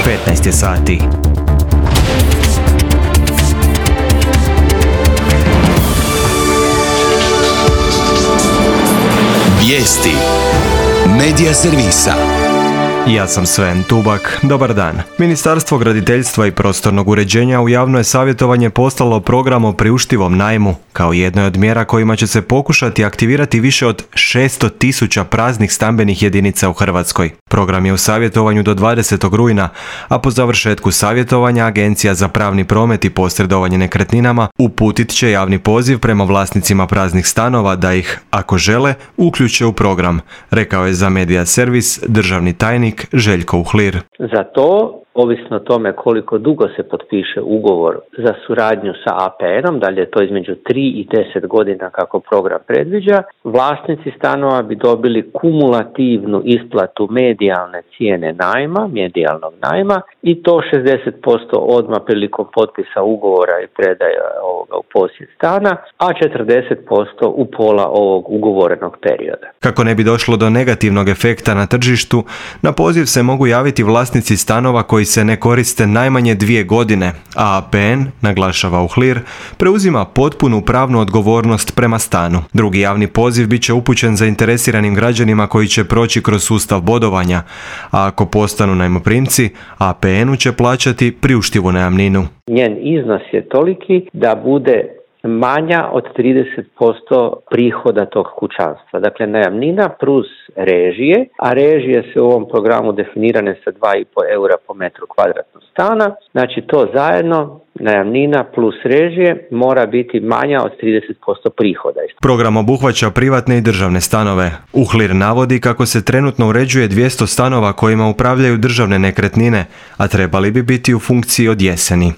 15 je sati. Vijesti Medija servisa. Ja sam Sven Tubak, dobar dan. Ministarstvo graditeljstva i prostornog uređenja u javno je savjetovanje poslalo program o priuštivom najmu, kao jednoj od mjera kojima će se pokušati aktivirati više od 600.000 praznih stambenih jedinica u Hrvatskoj. Program je u savjetovanju do 20. rujna, a po završetku savjetovanja Agencija za pravni promet i posredovanje nekretninama uputit će javni poziv prema vlasnicima praznih stanova da ih, ako žele, uključe u program, rekao je za Medija servis državni tajnik Željko Uhlir. Za to, ovisno o tome koliko dugo se potpiše ugovor za suradnju sa APN-om, da li je to između 3 i 10 godina kako program predviđa, vlasnici stanova bi dobili kumulativnu isplatu medijalne cijene najma, medijalnog najma, i to 60% odmah prilikom potpisa ugovora i predaje ovoga u posjed stana, a 40% u pola ovog ugovorenog perioda. Kako ne bi došlo do negativnog efekta na tržištu, na poziv se mogu javiti vlasnici stanova koji se ne koriste najmanje 2 godine, a APN, naglašava Uhlir, preuzima potpunu pravnu odgovornost prema stanu. Drugi javni poziv bit će upućen zainteresiranim građanima koji će proći kroz sustav bodovanja, a ako postanu najmoprimci, APN-u će plaćati priuštivu najamninu. Njen iznos je toliki da bude manja od 30% prihoda tog kućanstva. Dakle, najamnina plus režije, a režije se u ovom programu definirane sa 2,5 eura po metru kvadratnog stana. Znači, to zajedno, najamnina plus režije, mora biti manja od 30% prihoda. Program obuhvaća privatne i državne stanove. Uhlir navodi kako se trenutno uređuje 200 stanova kojima upravljaju državne nekretnine, a trebali bi biti u funkciji od jeseni.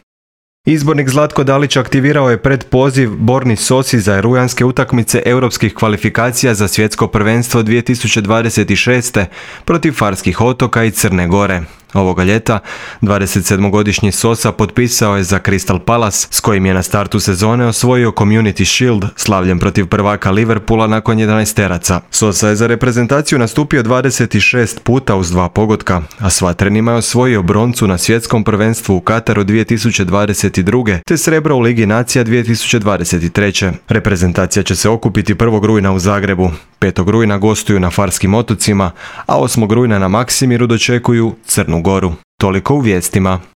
Izbornik Zlatko Dalić aktivirao je predpoziv Borni Sosi za rujanske utakmice europskih kvalifikacija za svjetsko prvenstvo 2026. protiv Farskih otoka i Crne Gore. Ovoga ljeta 27-godišnji Sosa potpisao je za Crystal Palace, s kojim je na startu sezone osvojio Community Shield, slavljen protiv prvaka Liverpoola nakon 11-teraca. Sosa je za reprezentaciju nastupio 26 puta uz 2 pogotka, a s Vatrenima je osvojio broncu na svjetskom prvenstvu u Kataru 2022. te srebro u Ligi nacija 2023. Reprezentacija će se okupiti 1. rujna u Zagrebu. 5. rujna gostuju na Farskim otocima, a 8. rujna na Maksimiru dočekuju Crnu Goru. Toliko u vijestima.